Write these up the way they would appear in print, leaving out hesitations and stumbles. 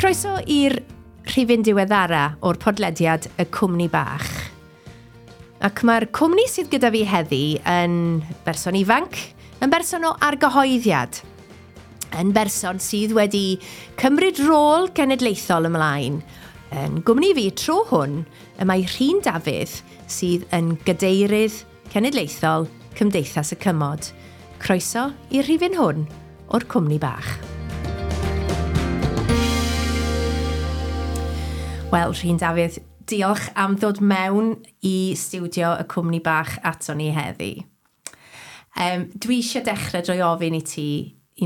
Croeso i'r rhifyn diweddara o'r podlediad Y Cwmni Bach. Ac mae'r cwmni sydd gyda fi heddi yn berson ifanc, yn berson o argyhoeddiad, yn berson sydd wedi cymryd rôl genedlaethol ymlaen. Yn gwmni fi tro hwn, y mae Rhun Dafydd sydd yn gadeirydd cenedlaethol Cymdeithas y Cymod. Croeso i'r rhifyn hwn o'r Cwmni Bach. Wel, Rhun Dafydd, diolch am ddod mewn i stiwdio y Cwmni Bach ato ni heddi. Dwi eisiau dechrau drwy ofyn i ti,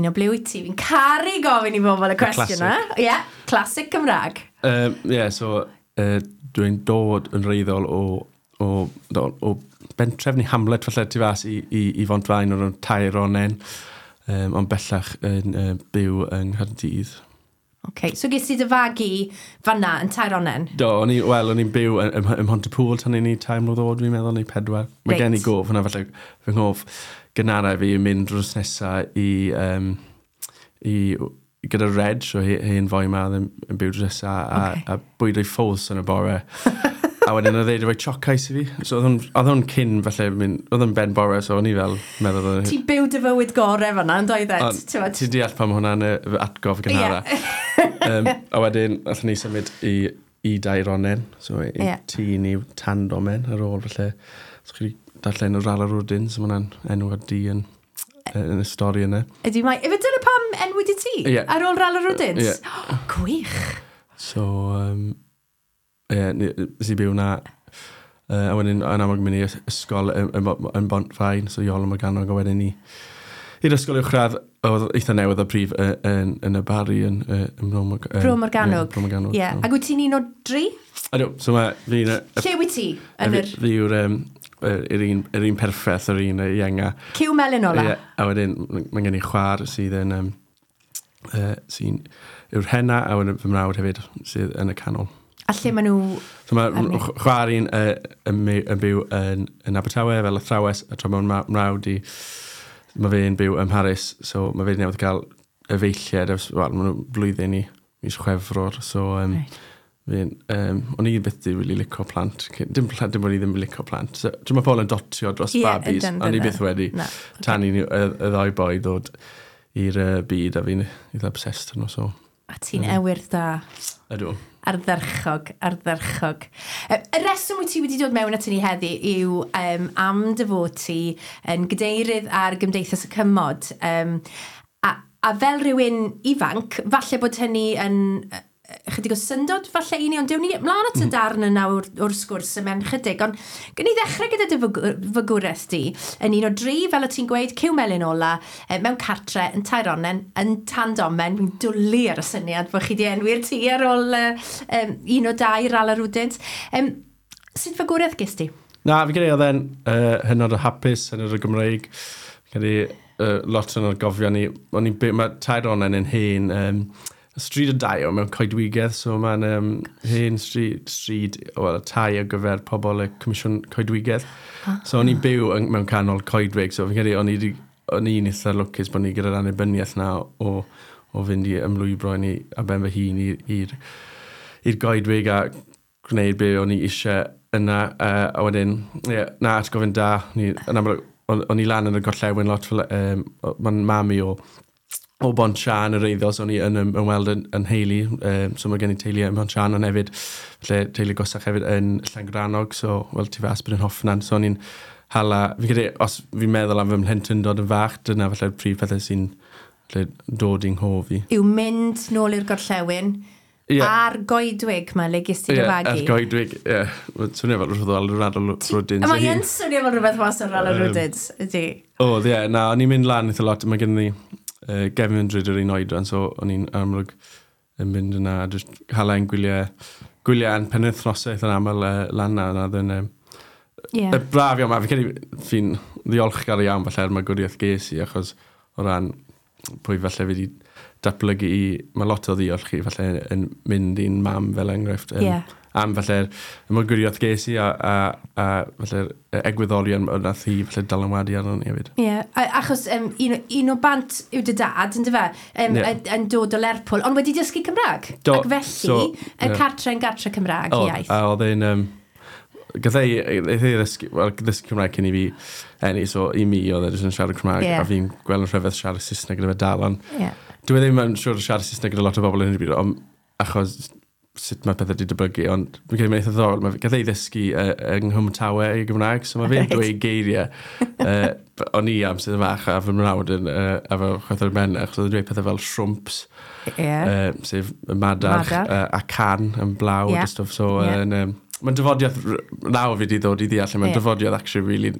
un o ble wyt ti? Fi'n caru gofyn i bobl y cwestiwn yna. Ie, yeah, classic Cymraeg. Yeah, so dwi'n dod yn wreiddiol o bentref neu hamlet falle tu fas i Fontfaen o'r Taironen, ond bellach yn byw yng Nghaerdydd. OK, so ges ti dy fagu fanna yn Taironen? Do, o'n i'n byw ym Mhontypŵl tan i ni 3 mlwydd oed, fi'n meddwl, neu 4. Mae gen i gof hwnna, falle fy nghof gynharaf fi yn mynd drws nesa i gyda Reg, so hen foi ma oedd yn byw drws nesa, a bwyd o'i ffos yn y bore. A wedyn oedd e wedi rhoi choc ice i fi. So oedd hwn cyn, falle, oedd o'n ben bore, so o'n i fel meddwl... Ti'n byw dy fywyd gore fan'na, yn doeddet? Ti'n deall pam hwnna'n fy atgof gynhara. A wedyn, allan ni symud i Daironen, so i tŷ ni Tandomen ar ôl, falle. So chi wedi darllen o Rala Rwdins, so ma' hwnna'n enw ar dŷ yn y stori yna. Ydy, mae... Efe dyna pam enwyd i ti? Ie. Ar ôl Rala Rwdins? Ie. Gwych! So, ie, nes i byw na, a wedyn yn amlwg mynd i ysgol yn Bontfaen, so Iolo Morganwg, a wedyn i'r ysgol uwchradd, oedd eitha newydd o prif yn y Barri yn Bro Bro Morgannwg. Bro Morgannwg. Ie, ac wyt ti'n un o dri? Ydw, so mae fi'n... Lle wyt ti? Fi yw'r yr un perffaith, yr un ienga. Cyw melyn ola? Ie, a wedyn mae gen i chwaer sydd yn... sy'n yw'r hena, a wedyn fy mrawd hefyd sydd yn y canol. A lle maen nhw... So mae chwaer i'n yn byw yn Abertawe fel athrawes, a tra mae'n mrawd i... Mae fe'n byw ym Mharis, so mae fe newydd cael efeilliad, wel, maen nhw blwyddyn i mis Chwefror, so o'n i byth di really licio plant. Dim bod i ddim yn licio plant. So, dwi'n meddwl pobl yn dotio dros babis, o'n i byth wedi. Tan i y ddau boi ddod i'r byd, a fi'n eitha obsessed nhw, so... A ti'n ewyrdd da. Ydw. Ardderchog, ardderchog. Y reswm wyt ti wedi dod mewn at ni heddi yw am dy fod ti yn gadeirydd ar Gymdeithas y Cymod. A fel rhywun ifanc, falle bod hynny yn chydig o syndod falle i ni, ond dewn ni mlaen at y darn yna o'r sgwrs yma'n chydig. Ond gwn i ddechrau gyda dy fagwraeth di, yn un o dri, fel o ti'n gweud, cyw melyn ola, mewn cartre, yn Taironen, yn Tandomen. Fi'n dwlu ar y syniad bod chi di enwi'r tŷ ar ôl un o dau Rala Rwdins. Sut fagwraeth ges ti? Na, fi credu oedd e'n hynod o hapus, hynod o Gymreig. Fi credu lot o'n gofio ni. Mae Taironen yn hen... Stryd o dai o mewn coedwigedd, so mae'n hen stryd well, tai ar gyfer pobl y Comisiwn Coedwigedd. So o'n i'n byw mewn canol coedwig, so fi'n credu o'n i'n eitha lwcus bod ni gyda'r annibyniaeth na o fynd i ymlwybro i ni a ben fy hun i'r goedwig a gwneud be o'n i eisiau yna. A wedyn, yeah, na, atgofyn da, yn amlwg, o'n i lan yn y gorllewin lot, fel, mae'n mam i o Bont-siân yr eiddo, so o'n i yn ymweld yn heili, so mae gen i teulu yn Bont-siân, ond hefyd, lle teulu gosach hefyd yn Llangrannog, so, wel, tu fas bod yn Hoffnan, so o'n i'n hala, fi'n credu, os fi'n meddwl am fy mhlentyndod yn fach, dyna falle'r prif pethau sy'n dod i'n nghof i. Yw mynd nôl i'r gorllewin, a'r goedwig ma, le ges ti dy fagu? Ie, a'r goedwig, ie. Swnio fel rhywbeth fel Rala Rwdins. Mae yn swnio fel rhywbeth mas o'r Rala Rwdins, ydy. Oedd, ie, na, o'n i'n mynd lan eitha lot, mae gen i gefn drud yr un oedran, so o'n i'n amlwg yn mynd yna, a jyst hala ein gwyliau a'n penwythnosau eitha'n aml lan na, oedd yn braf iawn, fi'n credu fi'n ddiolchgar iawn falle ar magwriaeth ges i, achos o ran pwy falle fi wedi datblygu i, mae lot o ddiolch i falle yn mynd i'n mam fel enghraifft. Am falle'r ymwrgwriaeth ges i a falle'r egwyddorion nath hi falle dylanwadu arno ni hefyd. Ie, yeah, achos un o bant yw dy dad, yn dyfe, yn dod o Lerpwl, ond wedi dysgu Cymraeg. Do, Ac felly, so, y cartre yn gartre Cymraeg iaith. A oedd e'n... Gath ei, ei ddysgu, well, ddysgu Cymraeg cyn i fi eni, so i mi oedd e jyst yn siarad Cymraeg, a fi'n gweld yn rhyfedd siarad Saesneg gyda fe dal, ond dwi e ddim yn siŵr o siarad Saesneg gyda lot o bobl yn y byd, ond achos sut mae pethau wedi dyblygu, ond fi'n credu mae'n eitha ddiddorol. Mae gath ei ddysgu yng Nghymtawe i Gymraeg, so mae fe'n dweud geiriau. O'n i am sydd yn fach a fy mrawd yn, a fy chwaith ben, achos oedd yn dweud pethau fel shrwmps, sef y madarch, a can yn blaw, a stwff. So, mae'n dyfodiad, nawr fi wedi ddod i ddeall, mae'n dyfodiad actually really,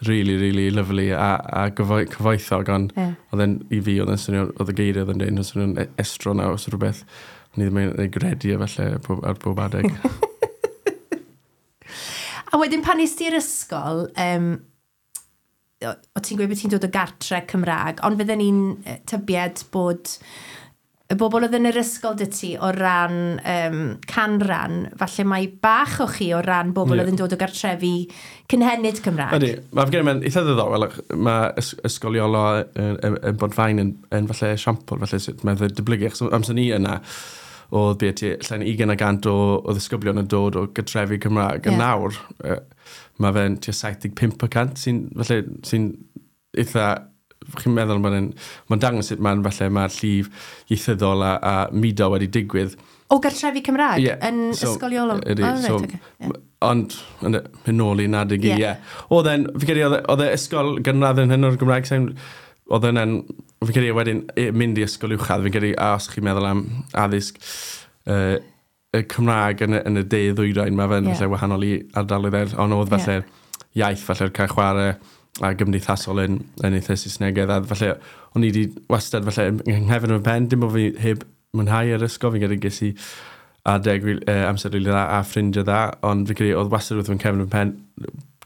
really, really lovely a cyfoethog, ond oedd e'n, i fi, oedd e'n swnio, oedd y geiriau oedd yn dweud, yn swnio'n estron nawr, so rhywbeth ni ddim yn ei gredu e falle ar bob adeg. A wedyn pan nes ti'r ysgol, o ti'n gweud bod ti'n dod o gartre Cymraeg, ond fydden ni'n tybied bod y bobl oedd yn yr ysgol dy ti o ran canran, falle mai bach o chi o ran bobl oedd yn dod o gartrefi cynhenid Cymraeg. Ydy, mae gen i mae'n eitha ddiddorol, mae Ysgol Iolo yn Bontfaen yn falle esiampl, falle sut mae'n dyblygu, achos amser ni yna, oedd be ti, llain 20% o ddisgyblion yn dod o gartrefi Cymraeg. A nawr, mae fe'n tua 75% sy'n falle, sy'n eitha, chi'n meddwl mae'n ma dangos sut mae'n falle mae'r llif ieithyddol a mudo wedi digwydd. O gartrefi Cymraeg? Yn so, Ysgol Iolo? Ydy, Oh, right, so, okay. Yeah. Ond, mynd nôl i nadig i, ie. Oedd e'n, fi credu, oedd e ysgol gynradd yn hyn o'r Gymraeg, sa'n, oedd e'n, fi credu wedyn mynd i ysgol uwchradd, fi'n credu, a os chi'n meddwl am addysg y Cymraeg yn y de ddwyrain, mae fe'n falle wahanol i ardaloedd eraill, ond oedd falle iaith, falle'r cael chwarae a gymdeithasol yn eitha Saesnegaidd, a falle o'n i wedi wastad falle yng nghefn fy pen, dim bod fi heb mwynhau yr ysgol, fi'n credu ges i adeg amser rili dda a ffrindiau dda, ond fi'n credu oedd wastad wrth fy nghefn fy pen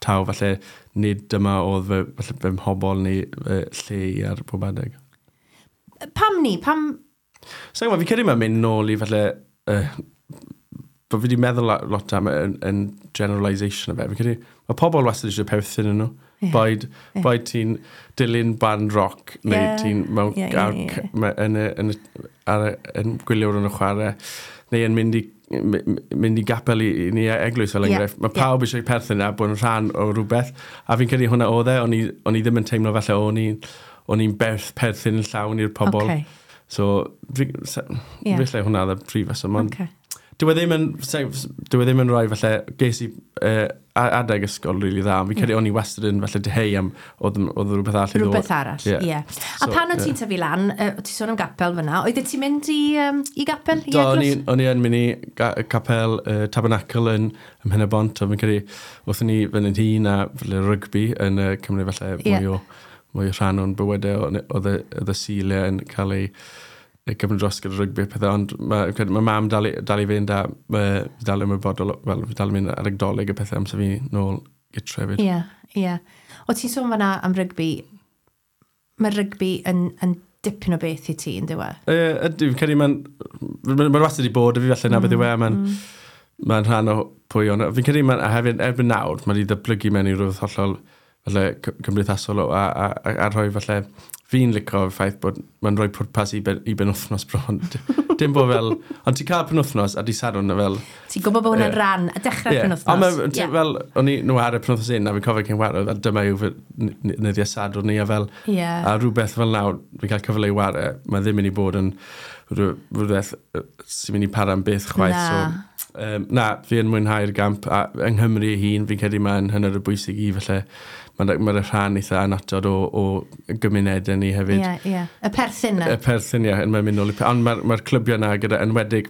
taw falle nid dyma oedd fy, falle fy mhobol neu lle i ar pob adeg. Pam ni? Pam... So, fi'n credu mae'n mynd nôl i falle, bod fi wedi meddwl lot am yn generalisation o fe. Fi'n credu, mae pobl wastad eisiau perthyn yn nhw. Boed, boed ti'n dilyn band rock, neu ti'n mewn, ar, yn, y, yn, y, ar, yn gwylio yn y chwarae, neu yn mynd i gapel i ni eglwys fel enghraifft. Mae pawb eisiau perthyn a bod yn rhan o rhywbeth. A fi'n credu hwnna oedd e, o'n i ddim yn teimlo falle o'n i'n perthyn yn llawn i'r pobl. Okay. So, falle hwnna oedd y prif reswm. Ond dyw e ddim yn rhoi falle, ges i adeg ysgol rili dda, ond fi'n credu o'n i wastad yn falle diheu am oedd rhywbeth arall i ddod. Rhywbeth arall, ie. A pan o ti'n tyfu lan, o ti'n sôn am gapel fyna, oeddet ti'n mynd i gapel, i Do, eglwys? o'n i yn mynd i capel Tabernacl yn Mhen-y-bont, a fi'n credu wrth ni fynd yn hŷn a falle rygbi yn cymryd falle mwy o rhan o'n bywydau, oedd y Suliau yn cael ei gymryd dros gyda rygbi a pethau, ond mae mam dal i fynd a dal ymwybodol, wel, fi dal i mynd ar Nadolig a pethau amser fi nôl gytre hefyd. Ie, ie. O ti'n sôn fan'na am rygbi, mae rygbi yn dipyn o beth i ti, yn dyw e? Ydy, fi'n credu mae'n wastad i bod, a fi falle na beth yw e, mae'n rhan o pwy o'n. Fi'n credu mae'n, a hefyd, erbyn nawr, mae wedi ddatblygu mewn i rhywbeth hollol falle cymdeithasol a rhoi falle fi'n licio y ffaith bod mae'n rhoi pwrpas i benwythnos bron. Dim bod fel... Ond ti'n cael penwythnos a di Sadwrn fel... Ti'n gwybod bod hwnna'n rhan a dechrau'r penwythnos. Ond mae, fel, o'n i nhw ar y penwythnos un, a fi'n cofio cyn ware, fel dyma yw fy nyddiau Sadwrn ni, a fel... A rhywbeth fel nawr, fi'n cael cyfle i ware, mae ddim mynd i bod yn rhywbeth sy'n mynd i para am byth chwaith. So, na, fi yn mwynhau'r gamp, a yng Nghymru ei hun, fi'n credu mae'n hynod o bwysig i, falle, mae'n rhan eitha annatod o gymunedau ni hefyd. Ie, ie. Y perthyn na. Y perthyn, ie, mae'n mynd nôl i... Ond mae'r clybiau na gyda enwedig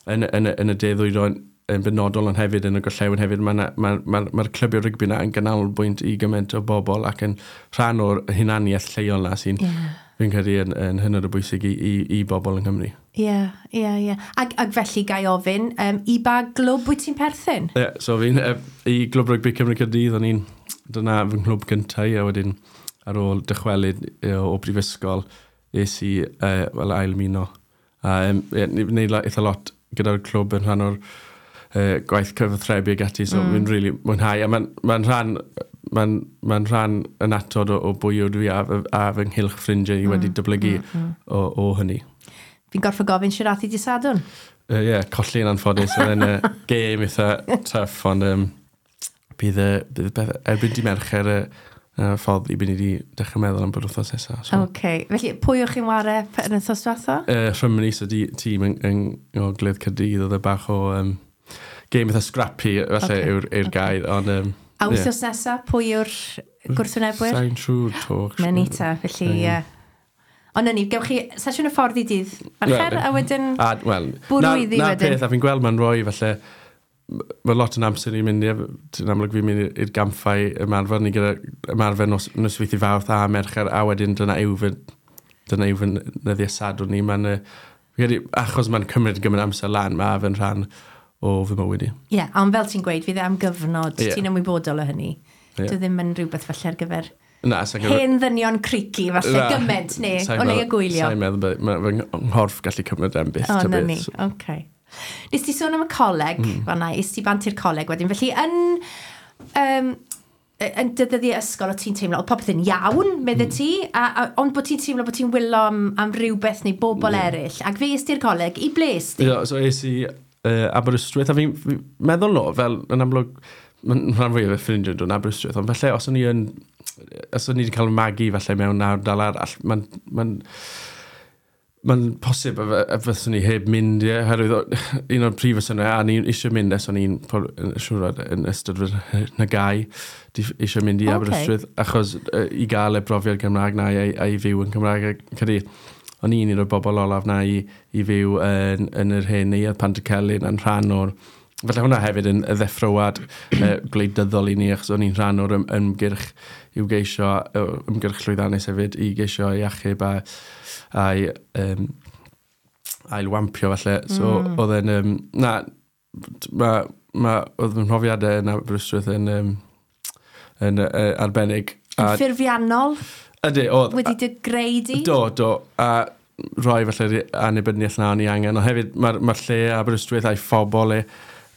yn y de ddwyrain yn benodol, ond hefyd yn y gorllewin hefyd, mae'r clybiau rygbi na yn ganolbwynt i gymaint o bobl ac yn rhan o'r hunaniaeth lleol na sy'n fi'n credu yn hynod o bwysig i bobl yng Nghymru. Ie, ie, ie. Ac felly gai ofyn, i ba glwb wyt ti'n perthyn? Ie, so fi'n i Glwb Rygbi Cymru Caerdydd, o'n i'n, dyna fy nghlwb gyntaf i, a wedyn ar ôl dychwelyd o brifysgol, es i wel, ail ymuno. A yeah, ni'n gwneud eitha lot gyda'r clwb yn rhan o'r gwaith cyfathrebu ag ati, so fi'n really mwynhau. A mae'n rhan yn atod o bwy ydw i a fy nghylch ffrindiau i wedi datblygu o hynny. Fi'n gorfod gofyn sut ath hi dydd Sadwrn? Ie, yeah, colli'n anffodus. Oedd e'n gêm eitha tough, ond bydd beth, erbyn dydd Mercher y ffordd i bydd ni wedi dechrau meddwl am bod wythnos nesaf. So, OK. Felly, pwy o'ch chi'n ware yn wythnos diwetha? Rhymni, so di, tîm yng Ngogledd Caerdydd, oedd e bach o game eitha scrappy, felly yw'r gair, ond A wythnos nesaf, pwy yw'r gwrthwynebwyr? Sa'n siŵr 'to. Mae'n nita, felly... Ie. Ond na ni, gewch chi sesiwn y ffordd i dydd Mercher, a wedyn A, wel, bwrw na, iddi na wedyn. Peth, a fi'n gweld mae'n rhoi, felly, mae lot yn amser i'n mynd i, ti'n amlwg fi'n mynd i'r gampfau ymarfer, ni gyda ymarfer nosweithiau Fawrth a Mercher, a wedyn dyna yw fy nyddiau Sadwrn ni. Mae'n, fi credu, achos mae'n cymryd gymaint amser lan, mae fe'n rhan o fy mywyd i. Ie, yeah, ond fel ti'n gweud, fydd e am gyfnod, ti'n ymwybodol o hynny. Ie. Dwi ddim yn rhywbeth falle ar gyfer Na, sa'n hen ddynion creaky falle Na, gymaint, neu sai'n o leia gwylio. Sa'n meddwl, mae fy nghorff gallu cymryd am byth. O, ta na beth. ni, oce. Nes ti sôn am y coleg, fan'na, es ti bant i'r coleg wedyn, felly yn dy ddyddiau ysgol o ti'n teimlo, oedd popeth yn iawn, medde ti, ond bod ti'n teimlo bod ti'n wylo am rhywbeth neu bobl eraill, ac fe es ti'r coleg, i ble es ti? Ie, so es i Aberystwyth, a fi'n fi meddwl no, fel yn amlwg, mae'n rhan fwyaf o ffrindiau yn dod yn Aberystwyth, ond felly os o'n i wedi cael fy magu falle mewn ardal arall, mae'n posib y fyswn i heb mynd, ie, oherwydd un o'r prif resymau, a ni eisiau mynd ers o'n i'n siŵr yn ystod fy nygau, eisiau mynd i Aberystwyth, achos i gael y brofiad Gymraeg na a i fyw yn Cymraeg, a credu, o'n i'n un o'r bobl olaf na i fyw yn yr hen neuadd Pantycelyn yn rhan o'r. Felly hwnna hefyd yn y ddeffroad gwleidyddol i ni, achos o'n i'n rhan o'r ymgyrch i'w geisio, ymgyrch llwyddiannus hefyd, i geisio i achub a'i ailwampio falle. So oedd e'n, na, oedd fy mhrofiadau yn Aberystwyth yn arbennig. Yn ffurfiannol, Ydy, oedd. wedi dy greu di? Do. A rhoi felly'r annibyniaeth na o'n i angen. Ond hefyd mae'r ma lle Aberystwyth a'i phobl e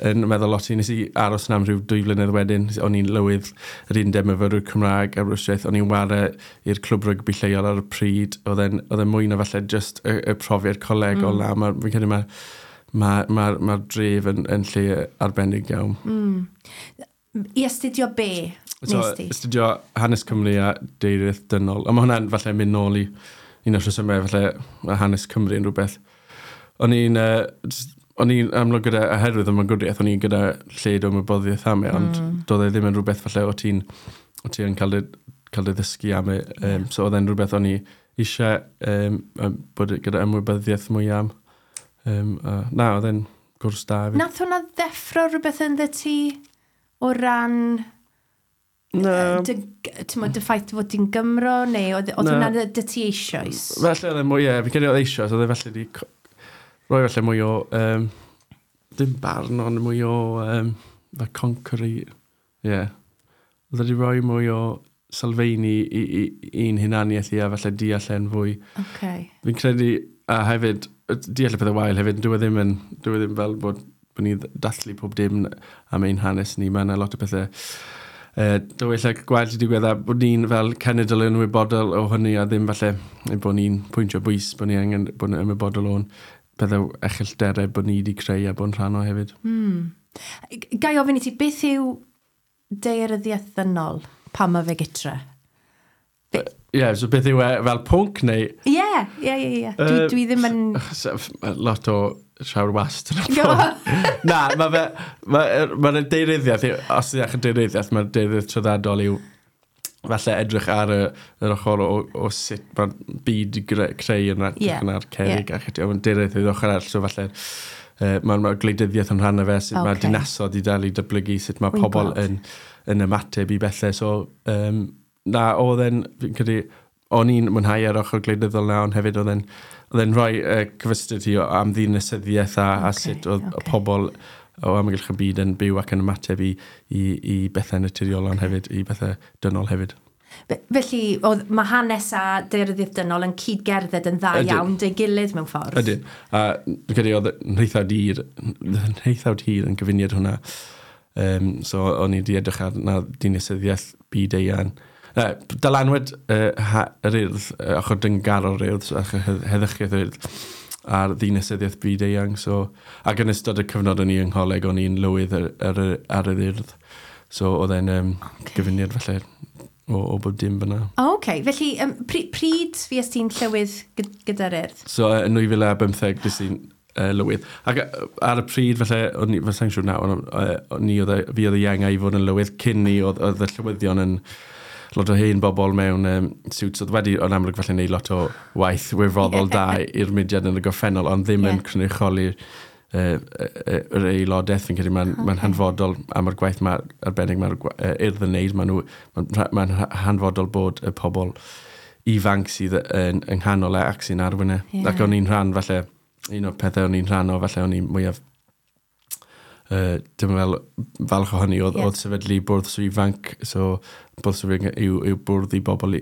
yn meddwl lot i. Nes i aros yna am rhyw 2 flynedd wedyn. O'n i'n lywydd yr undeb myfyrwyr Cymraeg Aberystwyth. O'n i'n ware i'r clwb rygbi lleol ar y pryd. Oedd e'n mwy na falle just y profiad colegol na. Fi'n credu mae'r ma, ma, ma dref yn lle arbennig iawn. I astudio be So, nes ti? astudio hanes Cymru a daearyddiaeth dynol. A mae hwnna'n falle mynd nôl i un o'r rhesymau, falle mae hanes Cymru yn rhywbeth. O'n i'n amlwg gyda, oherwydd y magwriaeth, o'n i'n gyda lled o ymwybyddiaeth am e, ond doedd e ddim yn rhywbeth falle o ti'n cael dy ddysgu am e. So oedd e'n rhywbeth o'n i eisiau bod gyda ymwybyddiaeth mwy am. Na, oedd e'n gwrs da hefyd. Nath hwnna ddeffro rhywbeth ynddo ti o ran Na, dy, t'mod, dy ffaith fod ti'n Gymro, neu oedd Na. hwnna dy ti eisoes? Felly oedd e mwy, ie, fi'n credu oedd eisoes, oedd e felly di rhoi felly mwy o, dim barn, ond mwy o, fel conquery, ie. Yeah. Oedd e di rhoi mwy o sylfeini i'n hunaniaeth i a felly deall e'n fwy. Fi'n credu, a hefyd, deall y pethau wael hefyd, dyw e ddim fel bod ni dathlu pob dim am ein hanes ni, mae yna lot o pethau dywyll a gwael wedi digwydd a bod ni'n fel cenedl yn ymwybodol o hynny a ddim falle ein bod ni'n pwyntio bwys, bod ni angen bod yn ymwybodol o'n pethau erchyllterau bod ni wedi creu a bod yn rhan o hefyd. Ga i ofyn i ti, beth yw daearyddiaeth ddynol pan mae fe gytre? Ie, yeah, so beth yw e fel pwnc neu Ie. Dwi ddim yn Lot o siawr wast yn y Do. ffôn. Na, mae fe... Mae'r ma daearyddiaeth, os ydych yn daearyddiaeth, mae'r daearyddiaeth traddodol yw falle edrych ar yr ochr o sut mae'r byd i creu yn edrych yn ar cerrig a chydig. Ond daearyddiaeth yw'r ochr arall, so falle mae'r ma gwleidyddiaeth yn rhan o fe, sut mae dinasoedd i dal i datblygu, sut mae Wy'n pobl gweld. yn ymateb i bethau. So, na, oedd e'n, fi'n credu, o'n i'n mwynhau ar ochr gwleidyddol na, ond hefyd oedd e'n rhoi cyfystyr ti am ddinasyddiaeth a sut oedd pobl o amgylch y byd yn byw ac yn ymateb i bethau naturiol ond hefyd i bethau dynol hefyd. Felly, oedd, mae hanes a daearyddiaeth dynol yn cyd-gerdded yn dda iawn dy gilydd mewn ffordd. Ydyn. A dwi'n credu oedd nheithawd hir yn gyfuniad hwnna. So o'n i wedi edrych ar na dinasyddiaeth byd eang. Dylanwad yr Urdd, ochr dyngarol Urdd, so ochr heddychiaeth yr Urdd, a'r ddinasyddiaeth byd eang. So, ac yn ystod y cyfnod o'n i yng ngholeg, o'n i'n lywydd ar yr Urdd. So oedd e'n gyfuniad falle o bob dim fyna. O, okay. Felly, pryd fues ti'n llywydd gyda'r Urdd? So, yn 2015, des i'n lywydd. Ac ar y pryd, falle, o'n i, fel sa'n siŵr nawr, o'n i oedd fi oedd y ienga i fod yn lywydd. Cyn ni, oedd y llywyddion yn lot o hen bobl mewn suits oedd wedi, yn amlwg falle wneud lot o waith wirfoddol da i'r mudiad yn y gorffennol, ond ddim yn cynrychioli yr aelodaeth. Fi'n credu mae'n ma hanfodol am yr gwaith ma, arbennig mae'r Urdd yn wneud. Mae'n hanfodol bod y pobl ifanc sydd yn yng nghanol e ac sy'n arwain e. Ac o'n i'n rhan, falle, un o'r pethau o'n i'n rhan o, falle o'n i'n mwyaf dim fel falch o hynny, oedd, oedd sefydlu bwrdd sw ifanc. So bwrdd sw ifanc yw bwrdd i pobl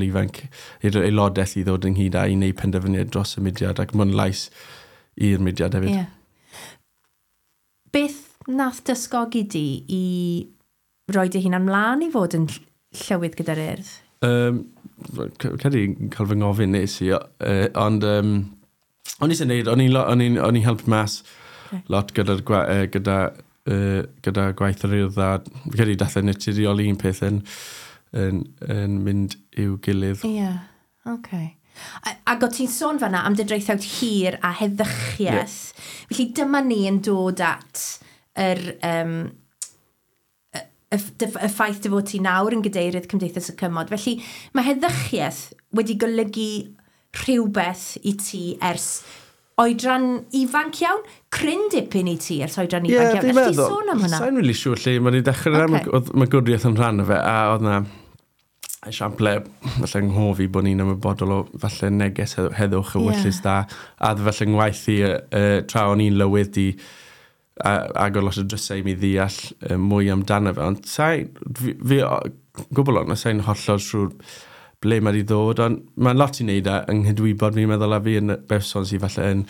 ifanc, i'r aelodaeth i ddod ynghyd a i wneud penderfyniad dros y mudiad ac mwyn lais i'r mudiad hefyd. Beth nath dysgogi di i roi dy hunan mlaen i fod yn llywydd gyda'r Urdd? Credu cael fy ngofyn nes i, ond o'n i sy'n neud, o'n i'n helpu mas lot gyda gwaith yr Urdd, a fi credu dath e'n naturiol un peth yn mynd i'w gilydd. Ie, yeah, oce. Ac o ti'n sôn fanna am dy draethawd hir a heddychiaeth. Felly dyma ni yn dod at yr, y ffaith dy fod ti nawr yn gadeirydd Cymdeithas y Cymod. Felly mae heddychiaeth wedi golygu rhywbeth i ti ers oedran ifanc iawn, cryn dipyn i ti ers oedran ifanc iawn. Fi'n Elli di meddwl. sôn am hwnna? Sa'n really siŵr lle mae wedi dechrau. Oedd magwriaeth yn rhan o fe, a oedd na esiample falle yng nghof i bod ni'n ymwybodol o falle neges heddwch y ewyllys da, a falle ngwaith i tra o'n i'n lywydd di agor lot o drysau i mi ddeall mwy amdano fe, ond sa'i, fi gwbl ond, sa'i'n hollol siŵr ble mae wedi ddod, ond mae'n lot i wneud â yng nghydwybod fi'n meddwl, a fi yn berson sydd falle yn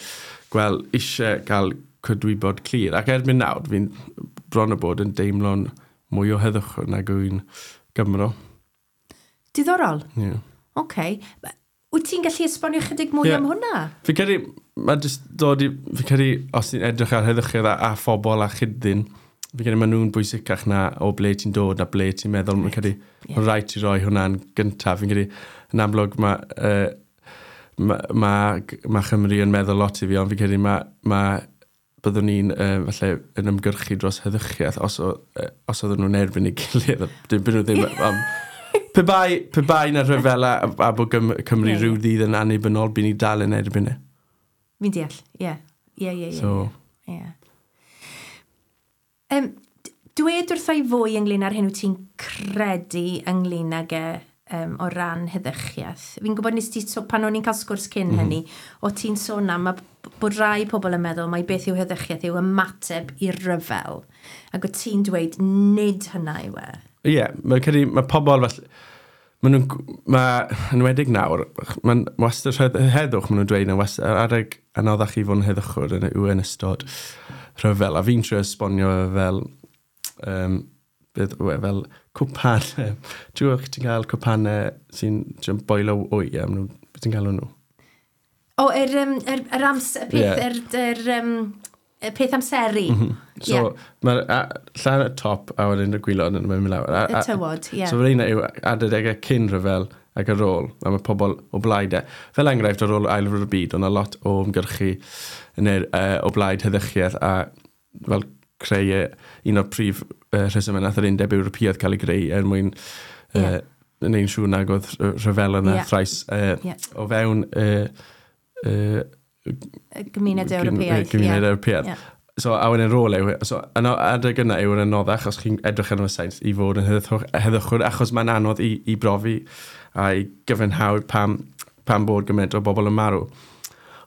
gweld eisiau cael cydwybod clir, ac erbyn nawr fi'n bron o bod yn deimlo'n mwy o heddwch nag wy'n Gymro. Diddorol. Ie. Yeah. Oce. Wyt ti'n gallu esbonio chydig mwy am hwnna? Fi'n credu, mae jyst dod i, fi'n credu, os ti'n edrych ar heddychiaeth a phobl a chyd-ddyn, fi'n credu maen nhw'n bwysicach na o ble ti'n dod a ble ti'n meddwl. Fi'n credu, mae'n rhaid ti roi hwnna'n gyntaf. Fi'n credu, yn amlwg, ma Chymru yn meddwl lot i fi, ond fi'n credu ma byddwn ni'n falle yn ymgyrchu dros heddychiaeth os oedden nhw'n erbyn ei gilydd. Dim byd nhw ddim. Pe bai na rhyfela a bod Cymru rhyw ddydd yn annibynnol, by ni dal yn erbyn e. Fi'n deall, ie. Ie. So, Ie. Dwed wrtha i fwy ynglyn â'r hyn wyt ti'n credu ynglyn ag e o ran heddychiaeth. Fi'n gwybod nes ti, so, pan o'n i'n cael sgwrs cyn hynny, o ti'n sôn am bod rai pobl yn meddwl mai beth yw heddychiaeth yw ymateb i'r rhyfel. Ac o ti'n dweud nid hynna yw e. Ie, yeah, mae'n credu, mae pobl falle, maen nhw'n, mae, yn enwedig nawr, mae'n wastad heddwch, maen nhw'n dweud, yn wastad adeg anoddach i fod yn heddychwr yw yn ystod rhyfel. A fi'n trio esbonio fel, beth yw e, fel cwpan. Ti'n gwybod ti'n cael cwpanau sy'n boilo wy, a maen nhw, beth ti'n cael nhw? O, yr amser, y peth, y peth amseru. So, mae'r llan y top a wedyn y gwylod yn mynd lawr. Y tywod, ie. So, yr un yw adegau cyn rhyfel ac ar ôl, a mae pobl o blaid e. Fel enghraifft, ar ôl Ail Ryfel Byd, oedd 'na lot o ymgyrchu yn o blaid heddychiaeth a fel creu un o'r prif rhesymau nath yr Undeb Ewropeaidd cael ei greu er mwyn wneud siŵr nag oedd rhyfel yna thrais o fewn y gymuned Ewropeaidd. Gymuned Ewropeaidd. So, a wedyn rôl yw, so, adeg yna yw'r anoddach, os chi'n edrych arno fo sains, i fod yn heddychwr, achos mae'n anodd i brofi a i gyfiawnhau pam bod gymaint o bobl yn marw.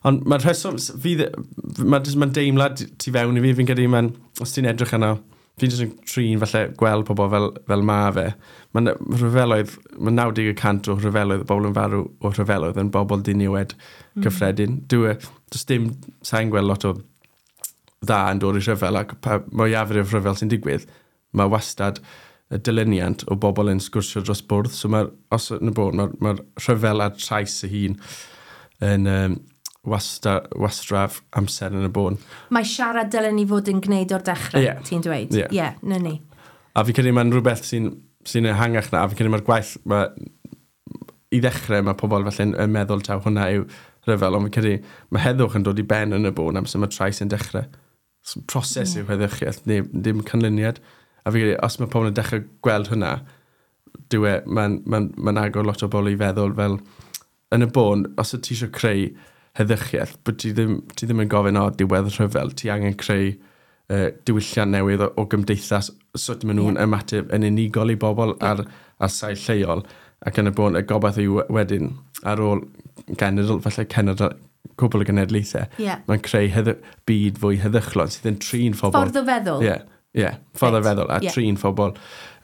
Ond mae'r rheswm, fi, mae'n deimlad tu fewn i fi, fi'n credu, mae'n, os ti'n edrych arno, Fi'n jyst yn trin falle gweld pobl fel ma fe. Mae'n rhyfeloedd, mae 90% o rhyfeloedd, y bobl yn farw o rhyfeloedd yn bobl diniwed cyffredin. Does dim, sa'n gweld lot o dda yn dod i rhyfel, ac mwyafrif rhyfel sy'n digwydd, mae wastad y dilyniant o bobl yn sgwrsio dros bwrdd. So mae'r, os yn y bôn, mae'r rhyfel a'r trais ei hun yn wastraff amser yn y bôn. Mae siarad dylen ni fod yn gwneud o'r dechrau, ti'n dweud? Ie. Yeah, na ni. A fi credu mae'n rhywbeth sy'n ehangach na, a fi credu mae'r gwaith, i ddechrau mae pobl felly yn meddwl taw hwnna yw rhyfel, ond fi credu mae heddwch yn dod i ben yn y bôn amser mae trais yn dechrau. So, proses yw heddychiaeth, neu ddim canlyniad. A fi credu, os mae pobl yn dechrau gweld hwnna, mae'n agor lot o bobl i feddwl fel, yn y bôn, os y ti eisiau creu heddychiaeth, bod ti ddim yn gofyn o diwedd rhyfel, ti angen creu diwylliant newydd o gymdeithas, sut maen nhw'n ymateb yn unigol i bobl ar sail lleol, ac yn y bôn, y gobaith yw wedyn, ar ôl genedl, falle cenedl, cwbl o genedlaethau, mae'n creu byd fwy heddychlon sydd yn trin phobl. Ffordd o feddwl. Ie, ffordd o feddwl, a trin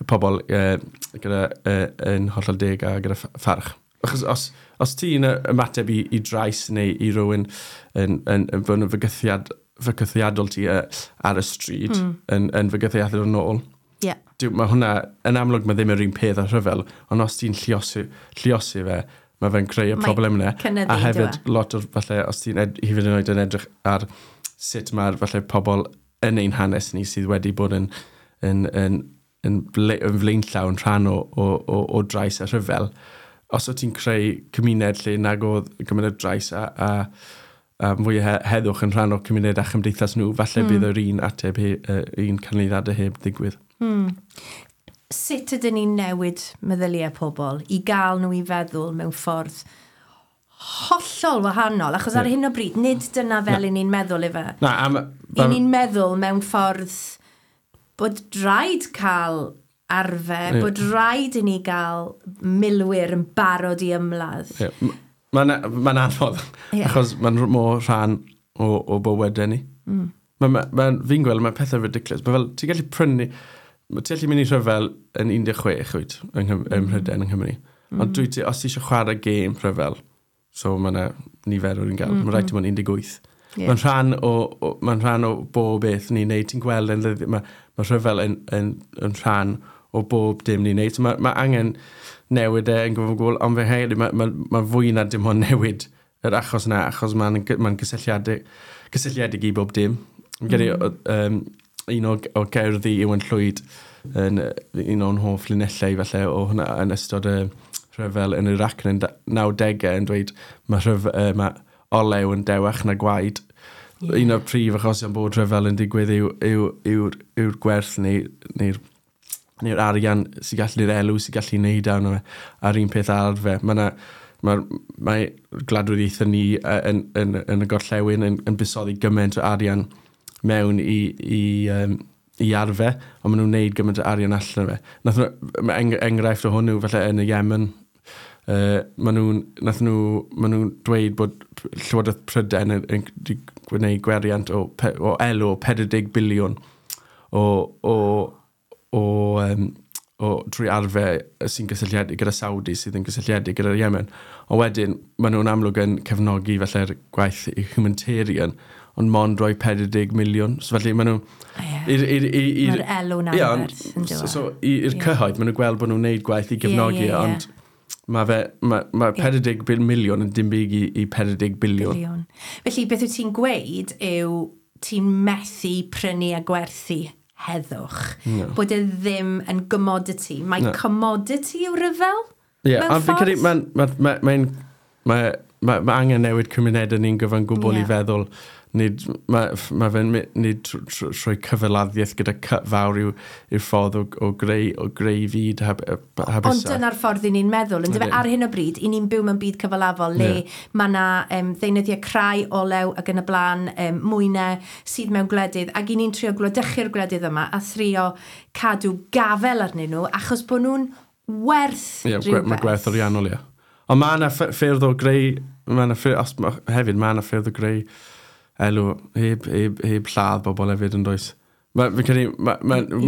pobl gyda yn hollol deg a gyda pharch. Achos os ti'n ymateb i drais neu i rywun yn fod yn fygythiadol ti ar y stryd, yn fygythiadol yn ôl, mae hwnna, yn amlwg mae ddim yr un peth â rhyfel, ond os ti'n lluosi fe, mae fe'n creu y problem yna. A hefyd, lot o'r, falle, os ti'n hefyd yn oed yn edrych ar sut mae'r falle pobl yn ein hanes ni sydd wedi bod yn flaenllaw yn rhan o drais a rhyfel, os o ti'n creu cymuned lle nag oedd gymuned drais a fwy o heddwch yn rhan o'r cymuned a chymdeithas nhw, falle bydd yr un ateb, un canlyniadau heb ddigwydd. Sut ydyn ni'n newid meddyliau pobl i gael nhw i feddwl mewn ffordd hollol wahanol? Achos ar hyn o bryd, nid dyna fel i ni'n meddwl efe. I ni'n meddwl mewn ffordd bod rhaid cael arfer, bod rhaid i ni gael milwyr yn barod i ymladd. Mae'n anodd, achos mae'n mor rhan o bywydau ni. Fi'n gweld, mae pethau ridiculous. Mae fel, ti'n gallu prynu, ti'n gallu mynd i rhyfel yn 16, wyt, ym Mhrydain, yng Nghymru. Ond os ti eisiau chwarae gêm rhyfel, so mae yna nifer o'r un gael, mae'n rhaid ti mewn 18. Mae'n rhan o bob beth ni'n neud. Ti'n gweld, mae rhyfel yn rhan o bob dim ni'n neud. So mae angen newid e yn gyfan gwbl, ond fe hefyd, mae fwy na dim ond newid yr achos na, achos mae'n gysylltiedig i bob dim. Fi'n credu, un o gerddi Iwan Llwyd, yn un o'n hoff linellau falle o hwnna yn ystod y rhyfel yn Iraq yn 90au yn dweud mae olew yn dewach na gwaed. Un o'r prif achosion bod rhyfel yn digwydd yw'r gwerth neu'r arian sy'n gallu, neu'r elw sy'n gallu neud arno fe, a'r un peth arfer. Mae gwladwriaethau ni yn y gorllewin yn buddsoddi gymaint o arian mewn i arfer, ond maen nhw'n neud gymaint o arian allan o fe. Mae enghraifft o hwnnw, falle yn y Yemen, maen nhw'n dweud bod Llywodraeth Prydain yn gwneud gweriant o elw o 40 biliwn o drwy arfer sy'n gysylltiedig gyda Saudi, sydd yn gysylltiedig gyda'r Yemen. Ond wedyn, maen nhw'n amlwg yn cefnogi felly'r gwaith humanitarian, ond mond rhoi 40 miliwn. So felly maen nhw... Mae'r elw'n anferth yn dod. So i'r cyhoedd, maen nhw'n gweld bod nhw'n neud gwaith i gefnogi, ond mae 40 miliwn yn dim byd i 40 biliwn. Felly, beth wyt ti'n gweud yw ti'n methu prynu a gwerthu heddwch. No. Bod e ddim yn commodity. Mae commodity yw rhyfel? Ie, ond fi'n credu mae angen newid cymunedau ni'n gyfan gwbl i feddwl. Nid, mae fe'n nid trwy cyfaladdiaeth gyda cy fawr yw'r ffordd o greu fyd hapusach. Ond dyna'r ffordd i ni'n meddwl. Yndyfe, ar hyn o bryd, i ni'n byw mewn byd cyfalafol le mae yna ddeunyddiau crai, olew ac yn y blaen, mwynau sydd mewn gwledydd, ac i ni'n trio gwladychu'r gwledydd yma a thrio cadw gafel arnyn nhw achos bod nhw'n werth rhywbeth. Mae gwerth ariannol, ie. Ond mae yna ffyrdd o greu, hefyd mae yna ffyrdd o greu elw, heb lladd bobl hefyd yn does. Mae, fi'n credu, ma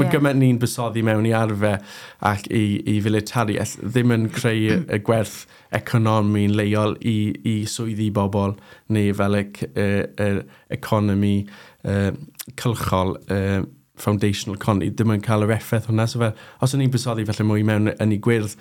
gymaint ni'n buddsoddi mewn i arfer ac i filitariaeth ddim yn creu y gwerth economi'n leol i swyddi bobl neu fel y economi cylchol, foundational economy, ddim yn cael yr effaith hwnna. So fel, os o'n ni'n buddsoddi falle mwy mewn ynni gwyrdd,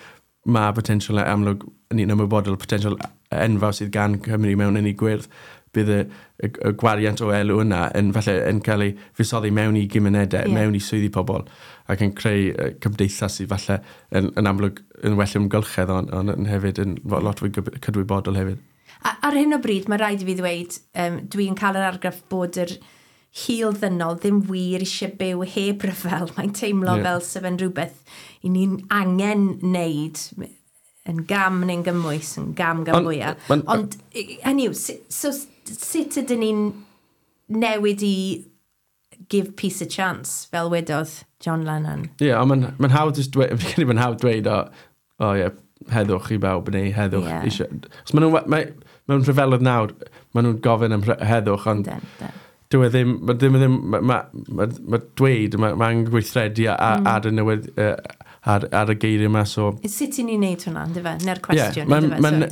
mae potensial amlwg, ni'n ymwybodol o potensial enfawr sydd gan Cymru mewn ynni gwyrdd, bydd y gwariant o elw yna yn, falle, yn cael ei fuddsoddi mewn i gymunedau, mewn i swyddi pobl, ac yn creu cymdeithas sydd falle yn amlwg yn well ymgylchedd, ond yn hefyd yn lot fwy cydwybodol hefyd. A, ar hyn o bryd, mae rhaid i fi ddweud, dwi'n cael yr argraff bod yr hil ddynol ddim wir eisiau byw heb ryfel. Mae'n teimlo fel sef yn rhywbeth i ni'n angen wneud yn gam neu'n gymwys, yn gam gan fwyaf. Ond, hynny yw, so, sut ydyn ni'n newid i give peace a chance, fel wedodd John Lennon? Ie, yeah, ond mae'n hawdd jyst dweud, fi'n credu mae'n hawdd dweud, o ie, heddwch i bawb neu heddwch eisiau. Os maen nhw, mewn rhyfeloedd nawr, maen nhw'n gofyn am heddwch, ond dyw e ddim, mae ddim, ddim, ma dweud, ma angen gweithredu ar y newid, ar y geiriau yma, so. Sut i ni'n neud hwnna, ynddo fe? Na'r cwestiwn, ynddo fe?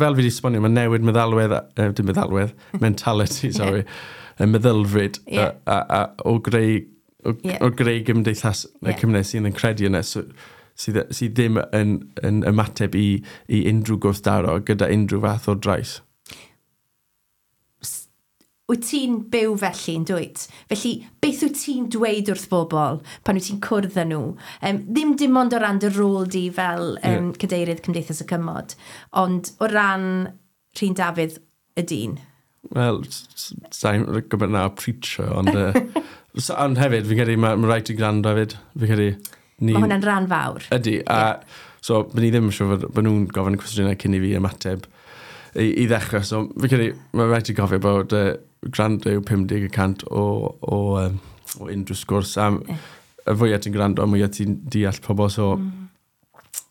Fel fi wedi esbonio, mae'n newid meddalwedd, dim meddalwedd, mentality, sorry, y meddylfryd o greu gymdeithas y cymuned sydd yn credu yna, so, sydd ddim yn ymateb i unrhyw gwrthdaro gyda unrhyw fath o drais. Wyt ti'n byw felly yn dwyt? Felly, beth wyt ti'n dweud wrth bobl pan wyt ti'n cwrdd â nhw? Ddim dim ond o ran dy rôl di fel cadeirydd Cymdeithas y Cymod, ond o ran Rhun Dafydd y dyn. Wel, sa'n gwybod na preacher, ond, ond hefyd, fi'n credu mae rhaid i gwrando hefyd. Fi'n credu. Mae hwnna'n rhan fawr. Ydy, a so, bydd ni ddim yn siŵr bod nhw'n gofyn y cwestiynau cyn i fi ymateb i ddechrau. So, fi'n credu, mae rhaid i gofio bod gwrando yw 50% o unrhyw sgwrs. A y fwyaf ti'n gwrando, y mwyaf ti'n deall pobl. So,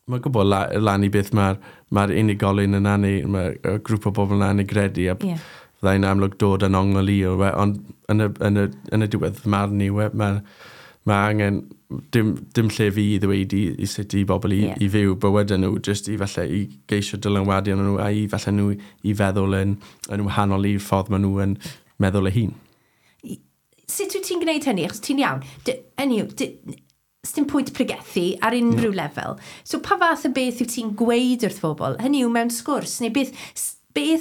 mae'n gwybod lan i beth mae'r unigolyn yna neu mae'r grŵp o bobl yna yn ei gredu. A fyddai'n amlwg dod yn ongl i, ond yn y diwedd fy marn i, mae angen dim lle fi i ddweud i sut i bobl i fyw bywydau nhw, jyst i falle i geisio dylanwadu arnyn nhw a i falle nhw i feddwl yn wahanol i'r ffordd maen nhw yn meddwl eu hun. Sut wyt ti'n gwneud hynny? Achos ti'n iawn. Hynny yw, dim pwynt pregethu ar unrhyw lefel. So pa fath o beth wyt ti'n gweud wrth bobl? Hynny yw mewn sgwrs, neu beth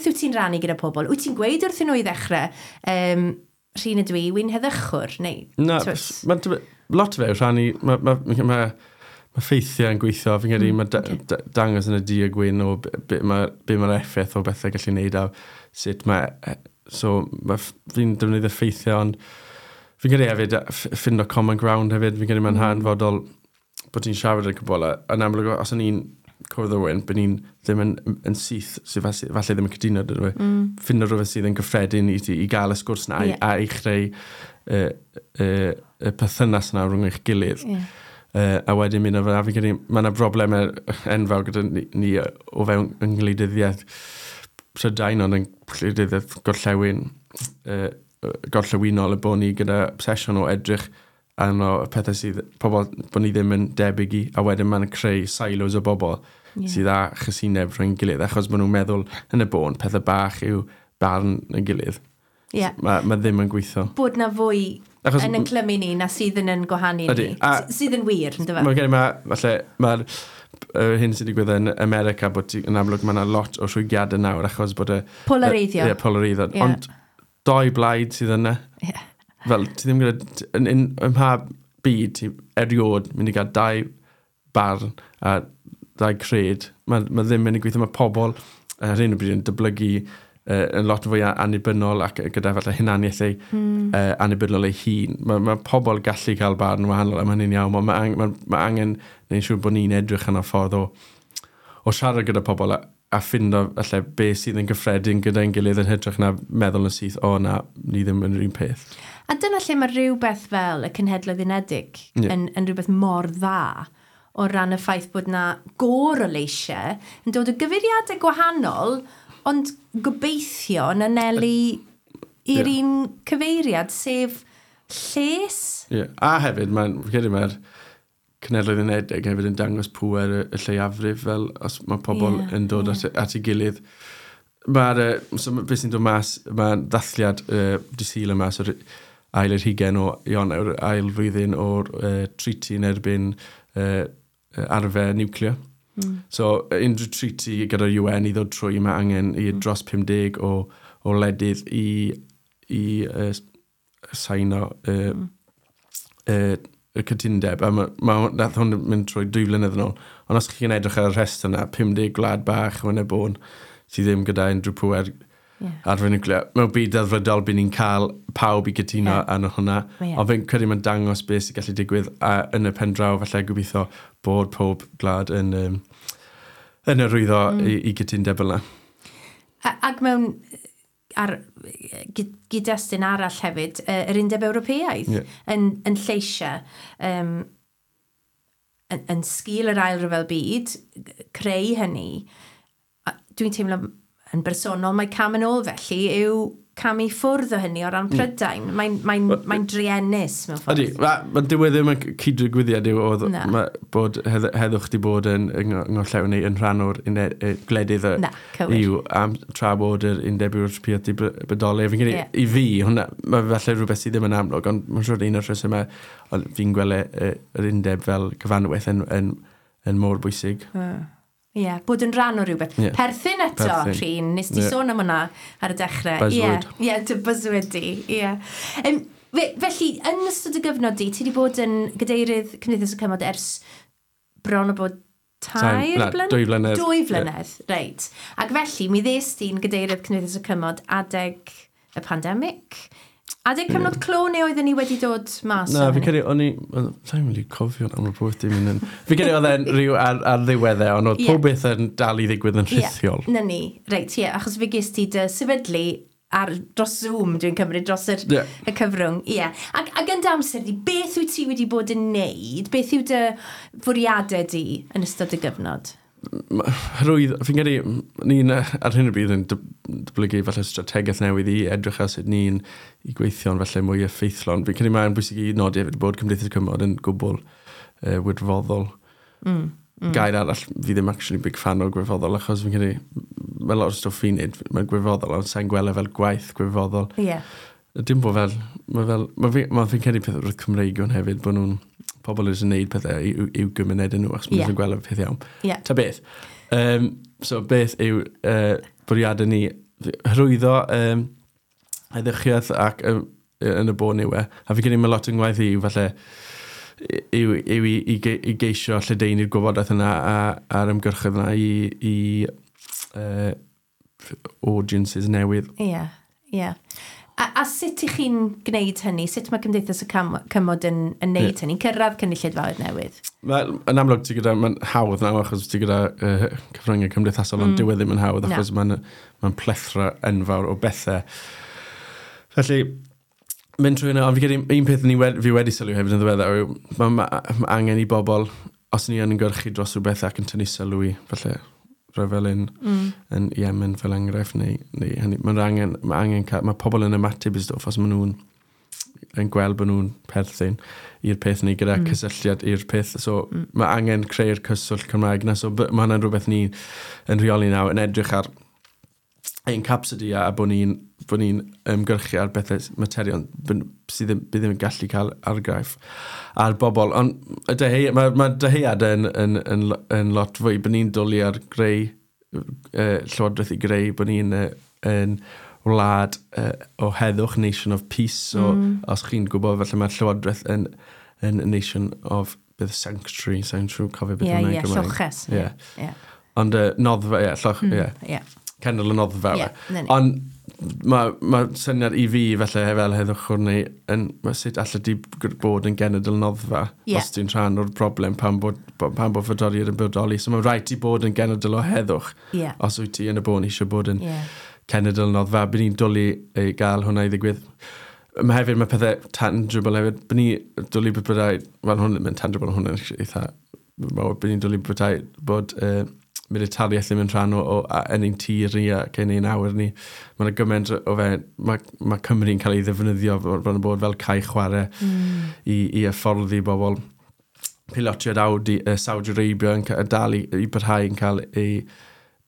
wyt ti'n rannu gyda pobl? Wyt ti'n gweud wrthyn nhw i ddechrau, Rhun ydw i, wy'n heddychwr, neu? Na, lot o fe yw rhannu, ma ffeithiau yn gweithio, fi'n credu mae dangos yn y du a gwyn o be mae'r effaith o bethau gallu gwneud a sut mae, so fi'n defnyddio ffeithiau, ond fi'n credu hefyd ffindo common ground hefyd, fi'n credu mae'n hanfodol bod ti'n siarad yn cwbl, yn amlwg os o'n i'n cwrdd â rhywun, bod ni'n ddim yn syth, sydd falle ddim yn cytuno, dydw i. Ffindo rhywbeth sydd yn gyffredin i ti, i gael y sgwrs yna a i chreu y perthynas yna rhwng eich gilydd. A wedyn mynd o fel, a fi'n credu, mae yna broblemau enfawr gyda ni o fewn yng ngwleidyddiaeth Prydain, ond yn gwleidyddiaeth gorllewinol, y bod ni gyda obsesiwn o edrych arno y pethau sydd, pobl bod ni ddim yn debyg i, a wedyn mae'n creu silos o bobl sydd â chasineb rhwng gilydd, achos maen nhw'n meddwl yn y bôn, pethau bach yw barn y gilydd. Mae ddim yn gweithio. Bod na fwy yn yn clymu ni na sydd yn gwahanu ni. Sydd yn wir, ynddo fe? Mae'n gen i falle, mae'r hyn sydd wedi digwydd yn America, bod yn amlwg mae yna lot o rhwygiadau nawr, achos bod y polareiddio. Ie, polareiddio. Ond doi blaid sydd yna. Fel, ti ddim gyda, yn mha byd, ti erioed mynd i gael dau barn a dau cred. Mae ddim mynd i gweithio, mae pobl ar hyn o bryd yn dyblygu yn lot fwy annibynnol ac gyda falle hunaniaeth ei annibynnol ei hun. Mae pobl gallu cael barn wahanol a mae hynny'n iawn, ond mae angen neu'n siŵr bod ni'n edrych yn y ffordd o siarad gyda pobl a ffindo falle be sydd yn gyffredin gyda'n gilydd yn hytrach na meddwl yn syth, o na, ni ddim yn yr un peth. A dyna lle mae rhywbeth fel y Cenhedloedd Unedig yn rhywbeth mor dda o ran y ffaith bod na gôr o leisiau yn dod o gyfeiriadau gwahanol, ond gobeithio yn anelu i'r un cyfeiriad, sef Lles. Ie. Yeah. A hefyd, mae'n, fi'n credu mae'r Cenhedloedd Unedig hefyd yn dangos pŵer y lleiafrif, fel os mae pobl yn dod at ei gilydd. Mae'r, so beth sy'n dod mas, mae'n ddathliad dydd Sul yma, so'r ail yr hugen o Ionawr, ail flwyddyn o'r treaty yn erbyn arfer niwclear. So, unrhyw treaty gyda'r UN i ddod trwy, mae angen i dros 50 o wledydd i saino y cytundeb. A nath hwn mynd trwy 2 flynedd yn ôl. Ond os chi'n edrych ar y rhestr yna, 50 gwlad bach yn y bôn sydd ddim gyda unrhyw pŵer arfer niwclear. Mewn byd delfrydol, bydd ni'n cael pawb i gytuno arno hwnna. Ond fi'n credu mae'n dangos beth sy'n gallu digwydd a yn y pen draw, falle gobeithio bod pob gwlad yn arwyddo i gytundeb yna. Ac mewn ar gyd-destun arall hefyd, yr Undeb Ewropeaidd yn lleisiau yn sgil yr Ail Ryfel Byd, creu hynny, a dwi'n teimlo yn bersonol mae cam yn ôl felly yw camu ffwrdd o hynny o ran Prydain. Mae'n druenus mewn ffordd. Ydy, ma dyw e ddim yn cyd-digwyddiad yw oedd Na. bod heddwch di bod yn ngorllewin neu yn rhan o'r gwledydd y Na, cywir. EU am tra bod yr Undeb Ewropeaidd di bodoli. Fi'n credu, i fi, hwnna, mae falle rhywbeth sydd ddim yn amlwg, ond mae'n siŵr un o'r rhesymau ond fi'n gweld yr undeb fel cyfanwaith yn mor bwysig. Ie, yeah, bod yn rhan o rhywbeth. Perthyn eto, Perthyn. Rhun, nes ti sôn am hwnna ar y dechrau. Buzzword. Ie, yeah, dy buzzword di. Ie. Felly, yn ystod y gyfnod di, ti wedi bod yn gadeirydd Cymdeithas y Cymod ers bron o bod 3 Na, blynedd? 2 flynedd. 2 flynedd, reit. Ac felly, mi ddes di'n gadeirydd Cymdeithas y Cymod adeg y pandemig. Adeg cyfnod clo neu oedden ni wedi dod mas Na, o fi'n hynny? credu, o'n i, sa'n mynd i cofio am y pwyth dim yn... Fi'n credu oedd e'n rhyw ar ddiweddau, ond oedd pob beth yn dal i ddigwydd yn rhithiol. Ie, na ni, reit, ie, achos fe ges ti dy sefydlu dros Zoom, dwi'n cymryd, dros y cyfrwng. Ie. Ac yn dy amser di, beth wyt ti wedi bod yn neud? Beth yw dy fwriadau di yn ystod y gyfnod? Hyrwydd, fi'n credu, ni'n ar hyn o bryd yn datblygu falle strategaeth newydd i edrych ar sut ni'n i gweithio'n falle mwy effeithlon. Fi'n credu mae'n bwysig i nodi hefyd bod Cymdeithas y Cymod yn gwbl wirfoddol. Gair arall, fi ddim actually big fan o gwirfoddol, achos fi'n credu, mae lot o stwff fi'n neud, mae'n gwirfoddol, ond sa'n gweld e fel gwaith gwirfoddol. Dim bod fel, mae fel, mae fi'n credu peth wrth Cymreig hwn hefyd, bod nhw'n pobl yn gwneud pethau i'w gymuned nhw, achos maen nhw'n gweld y peth iawn. Ta beth. So beth yw bwriadau ni? Hyrwyddo heddychiaeth ac yn y bôn yw e. A fi'n credu mae lot yn ngwaith i yw falle yw i geisio lledaenu'r gwybodaeth yna a'r ymgyrchoedd yna i audiences newydd. Ie, ie. A sut ych chi'n gwneud hynny? Sut mae Cymdeithas y Cymod yn neud hynny? Cyrraedd cynulleidfaoedd newydd? Wel, yn amlwg, ti gyda, mae'n hawdd nawr achos ti gyda cyfryngau cymdeithasol, ond dyw e ddim yn hawdd Na. achos mae'n plethra enfawr o bethau. Felly, mynd trwy hynna, ond fi credu un peth fi wedi sylwi hefyd yn ddiweddar yw ma angen i bobl, os ni yn ymgyrchu dros rhywbeth ac yn tynnu sylw i, falle rhyfel yn Yemen fel enghraifft, neu hynny, mae angen, mae pobl yn ymateb i stwff os maen nhw'n yn gweld bod nhw'n perthyn i'r peth neu gyda cysylltiad i'r peth. So mae angen creu'r cyswllt Cymraeg na. So mae hwnna'n rhywbeth ni yn rheoli nawr, yn edrych ar ein capacity a bod ni'n ymgyrchu ar bethau materion sydd ddim, bydd ddim yn gallu cael argraff ar bobl. Ond mae dyhead yn lot fwy, bod ni'n dwlu ar greu llywodraeth i greu, bod ni'n yn wlad o heddwch, nation of peace. So, os chi'n gwybod, felly mae'r llywodraeth yn nation of beth sanctuary, sanctuary, cofio beth hwnna'n Gymraeg. Lloches. Ie. Ond noddfa, ie, lloch, ie. Cenedl y noddfa. Ie, Yeah, na ni. Ond mae ma syniad i fi felly fel heddwchwr neu yn, ma sut allet ti bod yn genedl noddfa os ti'n rhan o'r broblem pan bod frodoriaeth yn bodoli. So mae'n rhaid ti bod yn genedl o heddwch os wyt ti yn y bôn eisiau bod yn cenedl noddfa. Bydd ni'n dwlu i gael hwnna i ddigwydd. Mae hefyd, mae pethau tangible hefyd. Bydd ni dwlu bod byddai, wel hwn ddim yn tangible, hwn yn eitha mawr, bydd ni'n dwlu byddai bod militariaeth ddim yn rhan o yn ein tir ni ac yn ein awyr ni. Mae'n gymaint o fe, mae Cymru'n cael ei ddefnyddio bron o bod fel cae chwarae i hyfforddi bobl. Pilotiaid Saudi Arabia yn dal i barhau yn cael ei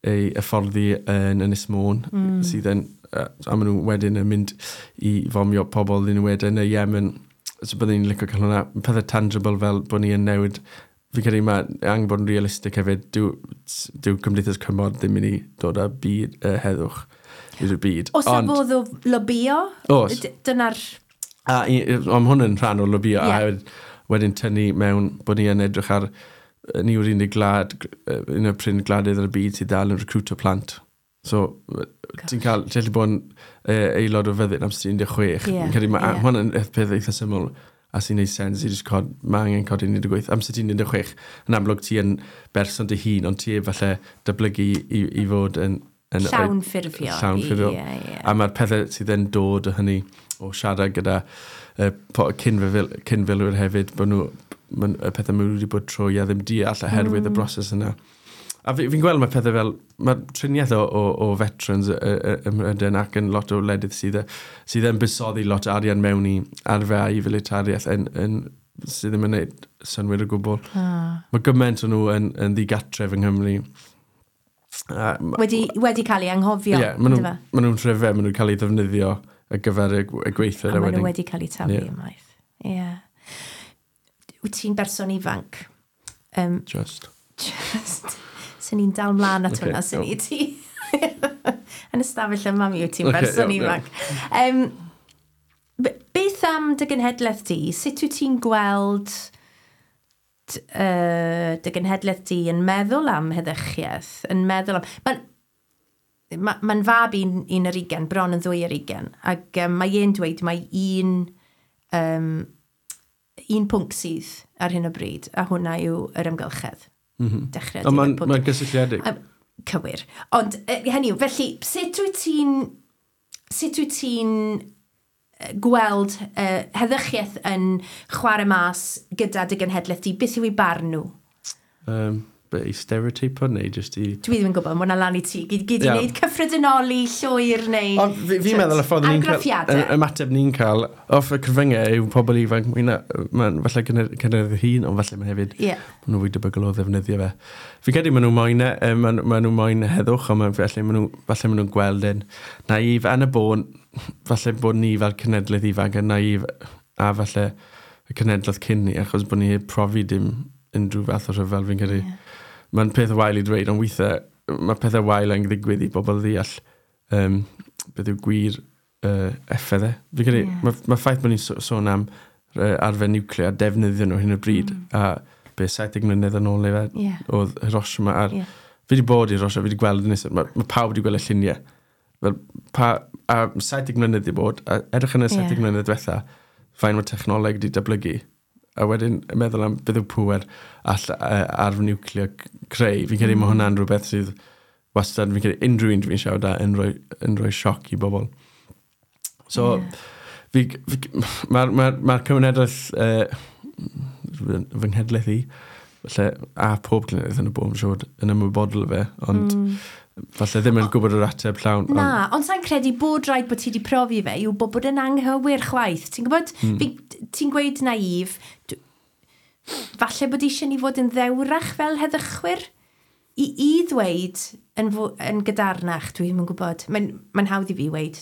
hyfforddi yn Ynys Môn, sydd yn, a maen nhw wedyn yn mynd i fomio pobl ddyn nhw wedyn yn y Yemen. So byddwn ni'n licio cael hwnna. Pethau tangible fel bod ni yn newid. Fi'n credu mae angen bod yn realistig hefyd. Dyw Cymdeithas Cymod ddim mynd i dod â byd, heddwch i'r byd. Oes 'na fodd o lobio? Oes. Dyna'r... A ond hwn yn rhan o lobio, a hefyd wedyn tynnu mewn bod ni yn edrych ar, ni yw'r unig gwlad, un o'r prin gwladydd ar y byd sydd dal yn recrwtio plant. So, ti'n cael, ti'n gallu bod yn aelod o fyddin am sy'n 16. Fi'n credu mae hwn yn peth eitha syml a sy'n neud sens i just cod, mae angen codi 18. Amser ti'n 16, yn amlwg ti yn berson dy hun, ond ti falle datblygu i fod yn Llawn ffurfio. Llawn ffurfio. Ie, ie. A mae'r pethau sydd yn dod o hynny o siarad gyda cyn-filwyr hefyd, bod nhw, y pethau maen nhw wedi bod trwy a ddim deall oherwydd y broses yna. A fi'n gweld mae pethau fel, mae triniaeth o veterans ym Mhrydain ac yn lot o wledydd sydd yn buddsoddi lot o arian mewn i arfau i filitariaeth yn, sydd ddim yn gwneud synnwyr o gwbl. Mae gymaint o nhw yn ddigatref yng Nghymru. A Wedi cael ei anghofio. Ie, maen yndyfe? nhw, ma nhw'n rhyfedd, maen nhw'n cael ei ddefnyddio ar gyfer y gweithred. A a maen nhw wedyn. wedi cael eu taflu ymaith. Ie. Wyt ti'n berson ifanc? Just. Just. Sy'n ni'n dal mlaen at hwnna, sy'n ni ti. Yn ystafell yma mi wyt ti'n berson Iawn, ifanc. Beth am dy genhedlaeth di? Sut wyt ti'n gweld dy genhedlaeth di yn meddwl am heddychiaeth? Yn meddwl am... Mae'n ma fab 21, bron yn 22, ac mae e'n dweud mae un pwnc sydd ar hyn o bryd, a hwnna yw yr amgylchedd. Dechrau Ond mae'n diwedd ma gysylltiedig. Cywir. Ond hynny yw, felly, sut wyt ti'n gweld heddychiaeth yn chwarae mas gyda dy genhedlaeth di? Beth yw eu barn nhw? Be, i stereotypo neu just i? Dwi ddim yn gwybod, mae hwnna lan i ti. Gyd i wneud cyffredinoli llwyr neu Ond fi'n meddwl y ffordd ni'n cael, argraffiadau. ymateb ni'n cael off y cyfryngau yw pobl ifanc, mwy na, ma'n falle cynnydd hun, ond falle mae hefyd, maen nhw fwy debygol o ddefnyddio fe. Fi'n credu maen nhw moyn, ma nhw moyn heddwch, ond falle maen nhw'n gweld yn naif, yn y bôn, falle bod ni fel cenedlaeth ifanc yn naif, a falle y cenedlaeth cyn ni, achos bod ni heb profi dim unrhyw fath o rhyfel, fi'n credu. Mae'n peth wael i dweud, ond weithiau mae pethau wael yn ddigwydd i bobl ddeall beth yw gwir effaith e. Fi'n credu, mae ffaith bod ni'n sôn am arfer niwclear, defnyddio nhw hyn o bryd, a be 70 mlynedd yn ôl neu fe, oedd Hiroshima ar... Fi wedi bod i Hiroshima, fi wedi gweld yn mae pawb wedi gweld y lluniau. Fel, a 70 mlynedd wedi bod, a edrych yn y 70 mlynedd diwetha, fain mae technoleg wedi datblygu. A wedyn meddwl am beth yw pŵer all arf niwclear creu. Fi'n credu mae hwnna'n rhywbeth sydd wastad, fi'n credu unrhyw un dwi'n siarad â yn rhoi sioc i bobl. So, mae'r ma cymunedau, fy nghenhedlaeth i, falle, a pob cenedlaeth yn y bôn, siŵr, yn ymwybodol o fe, ond falle ddim yn gwybod yr ateb llawn. Na, ond sa'n credu bod rhaid bod ti wedi profi fe yw bod yn anghywir chwaith. Ti'n gwybod, ti'n gweud naif, falle bod eisiau ni fod yn ddewrach fel heddychwyr i ddweud yn gadarnach, dwi ddim yn gwybod. Mae'n hawdd i fi weud,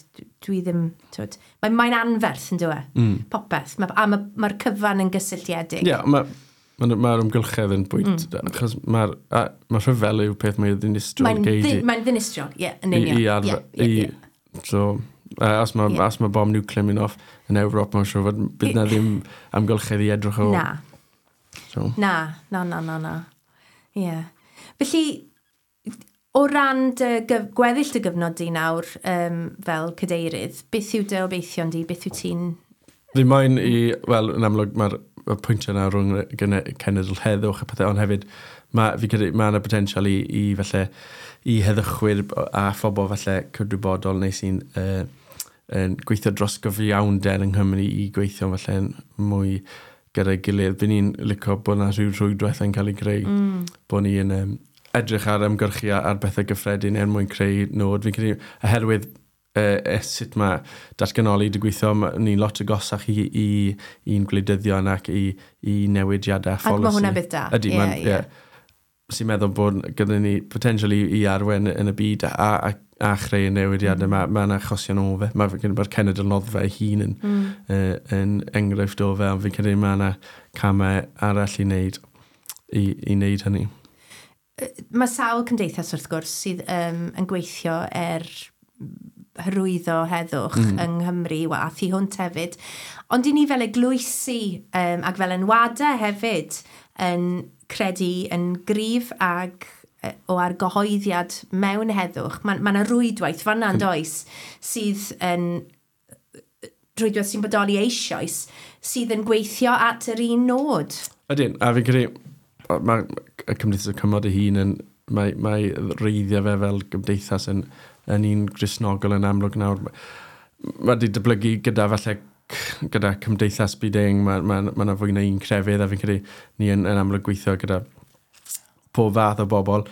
dwi ddim, twyd, mae'n anferth yn dweud, popeth. A mae'r cyfan yn gysylltiedig. Ie, yeah, ma ymgylchedd yn bwynt, achos mae'r ma rhyfel yw peth mwy ddinistriol Mae'n gei di. Mae'n ddinistriol, ie, yn I, union. i arfer, Ie. So, os ma bom niwclear mynd off yn Ewrop, mae'n siŵr fod bydd na ddim amgylchedd i edrych o. Na. So, Na, na, na, na, na. Ie. Yeah. Felly, o ran dy gweddill dy gyfnod di nawr fel cadeirydd, beth yw dy obeithion di? Beth yw ti'n... Fi moyn i, wel, yn amlwg mae'r y pwyntiau yna rhwng y cenedl heddwch a pethau, ond hefyd mae, fi credu mae yna potensial i falle i heddychwyr a phobl falle cydwybodol neu sy'n yn gweithio dros gyfiawnder yng Nghymru i gweithio falle yn mwy gyda'i gilydd. By ni'n licio bod yna rhyw rhwydwaith yn cael ei greu, bod ni yn edrych ar ymgyrchu ar bethau gyffredin er mwyn creu nod. Fi'n credu, oherwydd sut mae datganoli wedi gweithio, ni'n lot agosach i'n gwleidyddion ac i newidiadau a Ac pholisi. mae hwnna'n beth da. Ydy, mae'n... Ie. Sy'n meddwl bod gyda ni potential i arwain yn y byd a chreu newidiadau. Mae achosion o fe. Mae'r cenedl noddfa ei hun yn enghraifft o fe, ond fi'n credu mae yna camau arall i wneud hynny. Mae sawl cymdeithas wrth gwrs sydd yn gweithio er hyrwyddo heddwch yng Nghymru a thu hwnt hefyd. Ond i ni fel eglwysi ac fel enwadau hefyd yn credu yn gryf ag o argyhoeddiad mewn heddwch. Mae 'na rwydwaith fan'na yn does sydd yn rwydwaith sy'n bodoli eisoes sydd yn gweithio at yr un nod. Ydyn, a fi'n credu, mae y Cymdeithas y Cymod ei hun yn, mae reiddiau fe fel gymdeithas yn un Gristnogol yn amlwg nawr. Mae wedi datblygu gyda falle gyda cymdeithas byd-eang, mae 'na fwy na un crefydd, a fi'n credu ni yn amlwg gweithio gyda pob fath o bobl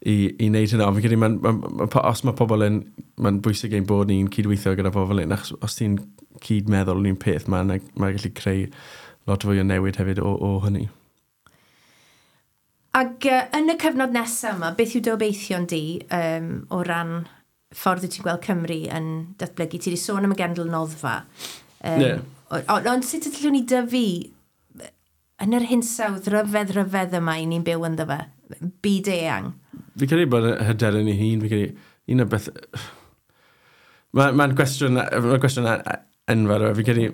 i wneud hynna. Ond fi'n credu, os mae pobl yn, mae'n bwysig ein bod ni'n cydweithio gyda pobl hyn, achos os ti'n cyd-meddwl yn un peth, mae'n gallu creu lot fwy o newid hefyd o hynny. Ac yn y cyfnod nesaf yma, beth yw dy obeithion di o ran ffordd wyt ti'n gweld Cymru yn datblygu? Ti wedi sôn am y genedl noddfa. Ie. Ond sut ydyn ni dyfu yn yr hinsawdd ryfedd ryfedd yma i ni'n byw ynddo fe? Byd eang. Fi'n credu bod hyder yn ei hun, fi'n credu, un o'r beth. Mae'n gwestiwn enfawr, fi'n credu,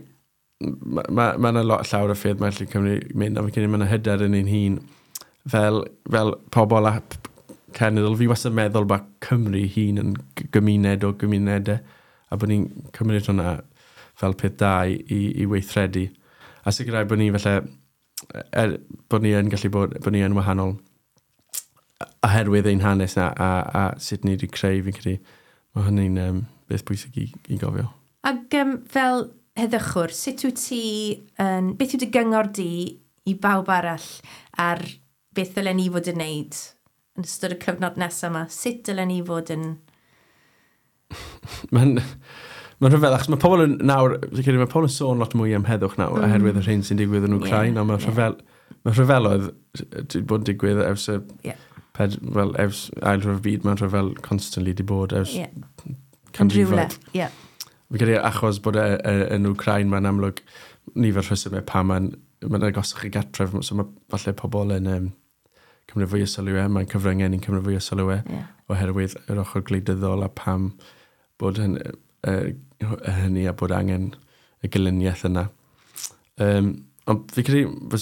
mae yna lot llawer o ffyrdd mae'n gallu Cymru mynd, ond fi'n credu mae yna hyder yn ein hun fel pobl a cenedl. Fi wastad yn meddwl bod Cymru hun yn gymuned o gymunedau, a bod ni'n cymryd hwnna fel peth da i weithredu. A sicrhau bod ni falle, bod ni yn gallu bod ni yn wahanol oherwydd ein hanes na a sut ni wedi creu, fi'n credu, mae hynny'n beth bwysig i gofio. Ac fel heddychwr, sut wyt ti, beth yw dy gyngor di i bawb arall ar beth ddylen ni fod yn neud yn ystod y cyfnod nesaf yma? Sut dylen ni fod yn? Mae'n rhyfedd, achos mae pobl yn nawr, fi'n credu mae pobl yn sôn lot mwy am heddwch nawr, oherwydd yr hyn sy'n digwydd yn Wcrain, ond mae mae rhyfeloedd wedi bod yn digwydd ers y wel, ers ail rhyfel byd, mae'n rhyfel constantly di bod ers Yn rhywle. canrifoedd. Fi'n credu achos bod e yn Wcrain, mae'n amlwg nifer rhesymau pam mae'n agosach i gartref, so mae falle pobl yn cymryd fwy o sylw e, mae'n cyfryngau ni'n cymryd fwy o sylw e, oherwydd yr ochr gwleidyddol a pam bod hynny a bod angen y gelyniaeth yna. Ond fi credu,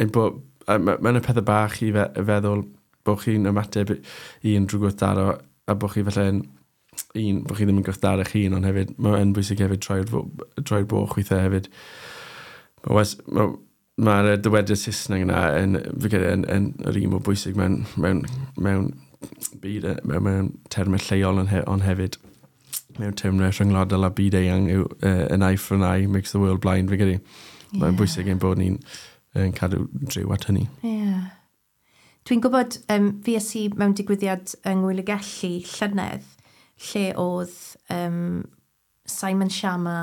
ein bod, mae'n y pethau bach i feddwl bod chi'n ymateb i unrhyw gwrthdaro a bod chi falle yn un, bod chi ddim yn gwrthdaro eich hun, ond hefyd, mae'n bwysig hefyd troi'r boch weithiau hefyd. Mae'r dywediad Saesneg yna yn, fi credu, yn yr un mor bwysig mewn byd, mewn termau lleol ond hefyd mewn termau rhyngwladol a byd eang yw "an eye for an eye makes the world blind", fi credu. Mae'n bwysig ein bod ni'n yn cadw driw at hynny. Ie. Yeah. Dwi'n gwybod, fi es i mewn digwyddiad yng Ngwyl y Gelli llynedd, lle oedd Simon Schama,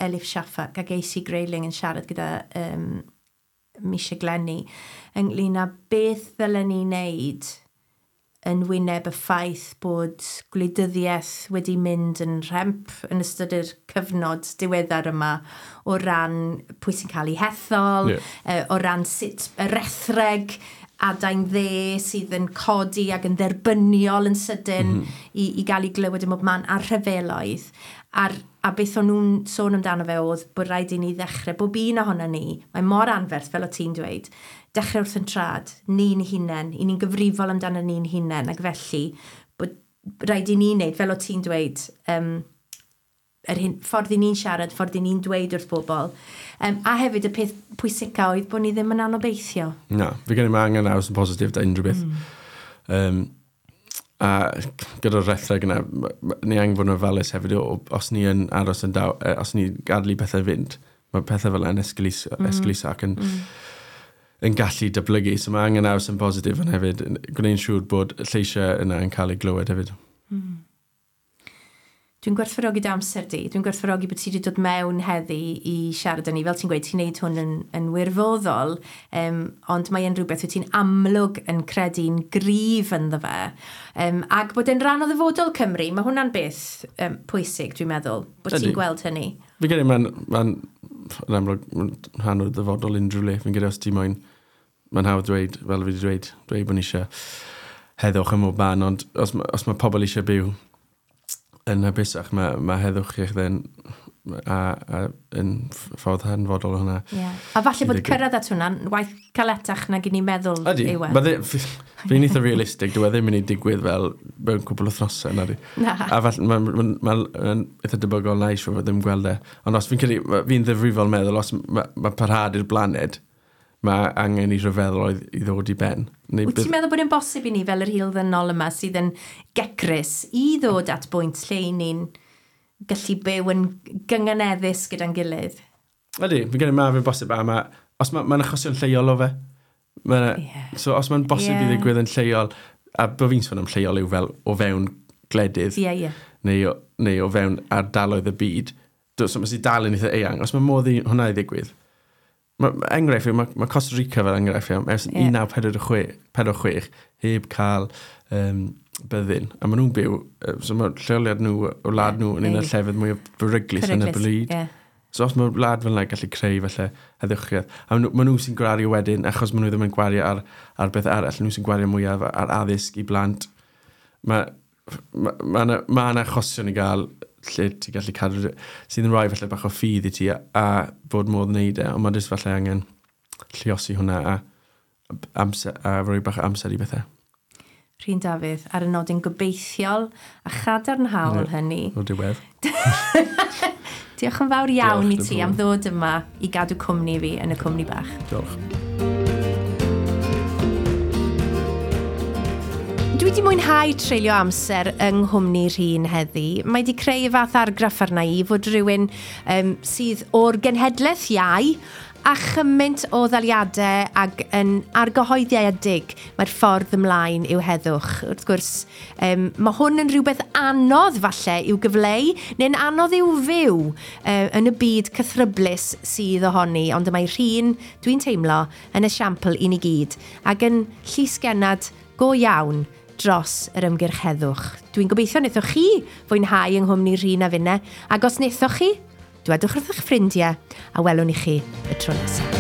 Elif Shafak ac AC Grayling yn siarad gyda Misha Glenny ynglyn â beth ddylen ni wneud yn wyneb y ffaith bod gwleidyddiaeth wedi mynd yn rhemp yn ystod yr cyfnod diweddar yma o ran pwy sy'n cael ei hethol, o ran sut y rethreg adain dde sydd yn codi ac yn dderbyniol yn sydyn i gael ei glywed ym mhob man a'r rhyfeloedd. A beth o'n nhw'n sôn amdano fe oedd bod rhaid i ni ddechrau, bob un ohono ni, mae mor anferth fel o ti'n dweud, dechrau wrth yn trad, ni'n hunain, i ni'n gyfrifol amdano ni'n hunain, ac felly bod rhaid i ni wneud, fel o ti'n dweud, yr hyn, ffordd i ni'n siarad, ffordd i ni'n dweud wrth bobl. A hefyd y peth pwysica oedd bod ni ddim yn anobeithio. Na, fi gen i mae angen aros yn positif da unrhyw beth. A gyda'r rethreg yna, ni angen fod yn ofalus hefyd, os ni yn aros yn daw, os ni gadw i pethau fynd, mae pethau fel yna'n esgeuluso ac yn yn gallu datblygu. So mae angen aros yn positif yn hefyd, gwneud siŵr bod lleisiau yna yn cael ei glywed hefyd. Dwi'n gwerthfawrogi dy amser di. Dwi'n gwerthfawrogi bod ti wedi dod mewn heddi i siarad â ni. Fel ti'n gweud, ti'n neud hwn yn wirfoddol, ond mae e'n rhywbeth wyt ti'n amlwg yn credu'n gryf ynddo fe. Ac bod e'n rhan o ddyfodol Cymru, mae hwnna'n beth pwysig, dwi'n meddwl, bod ti'n gweld hynny. Fi'n credu mae'n yn amlwg ma'n rhan o ddyfodol unrhyw le. Fi'n credu os ti moyn, mae'n hawdd dweud, fel fi wedi dweud bod ni eisiau heddwch ym mhob man, ond os mae pobl eisiau byw yn hapusach, mae heddwch i'ch ddyn a yn ffordd hanfodol o hwnna. Yeah. A falle bod cyrraedd at hwnna'n waith caletach nag i ni meddwl yw e. Fi'n eitha realistig, dyw e ddim yn ei digwydd fel mewn cwbl o wythnosau, na di. Na. A falle, mae'n eitha debygol na i siŵr fod ddim gweld e. Ond os fi'n credu, fi'n ddifrifol meddwl, os mae parhad i'r blaned, mae angen i rhyfeddol i ddod i ben. Wyt ti'n meddwl bod e'n bosib i ni fel yr hil ddynol yma sydd yn gecrus i ddod at bwynt lle i ni'n gallu byw yn gynganeddus gyda'n gilydd? Ydy, fi'n credu mae fe'n bosib a mae, os mae'n achosion lleol o fe. So os mae'n bosib i ddigwydd yn lleol, a bod fi'n sôn am lleol yw fel o fewn gwledydd, neu o fewn ardaloedd y byd, so mae sy'n dal yn eitha eang, os mae modd i hwnna i ddigwydd, enghraifft, mae Costa Rica fel enghraifft, ers 1946 heb cael byddin. A maen nhw'n byw, so mae lleoliad nhw, o wlad nhw, yn un o'r llefydd mwy o beryglus yn y byd. So os mae wlad fel yna gallu creu falle heddwchiaeth. A maen nhw sy'n gwario wedyn, achos maen nhw ddim yn gwario ar beth arall, nhw sy'n gwario mwyaf ar addysg i blant. Mae yna achosion i gael lle ti'n gallu cadw, sydd yn rhoi falle bach o ffydd i ti a bod modd wneud e, ond mae jyst falle angen lluosi hwnna a rhoi bach o amser i bethau. Rhun Dafydd, ar y nodyn gobeithiol a chadarnhaol hynny. O'r diwedd. Diolch yn fawr iawn i ti am ddod yma i gadw cwmni fi yn y cwmni bach. Diolch. Dwi wedi mwynhau treulio amser yng nghwmni Rhun heddi. Mae wedi creu y fath argraff arna i fod rhywun sydd o'r genhedlaeth iau a chymaint o ddaliadau ac yn argyhoeddiedig mae'r ffordd ymlaen yw heddwch. Wrth gwrs, mae hwn yn rhywbeth anodd falle i'w gyfleu, neu'n anodd i'w fyw yn y byd cythryblus sydd ohoni, ond mae Rhun, dwi'n teimlo, yn esiampl i ni gyd, ac yn llysgennad go iawn dros yr ymgyrch heddwch. Dwi'n gobeithio wnaethoch chi fwynhau yng nghwmni Rhun a finne, ac os wnaethoch chi, dwedwch wrth eich ffrindiau a welwn i chi y tro nesaf.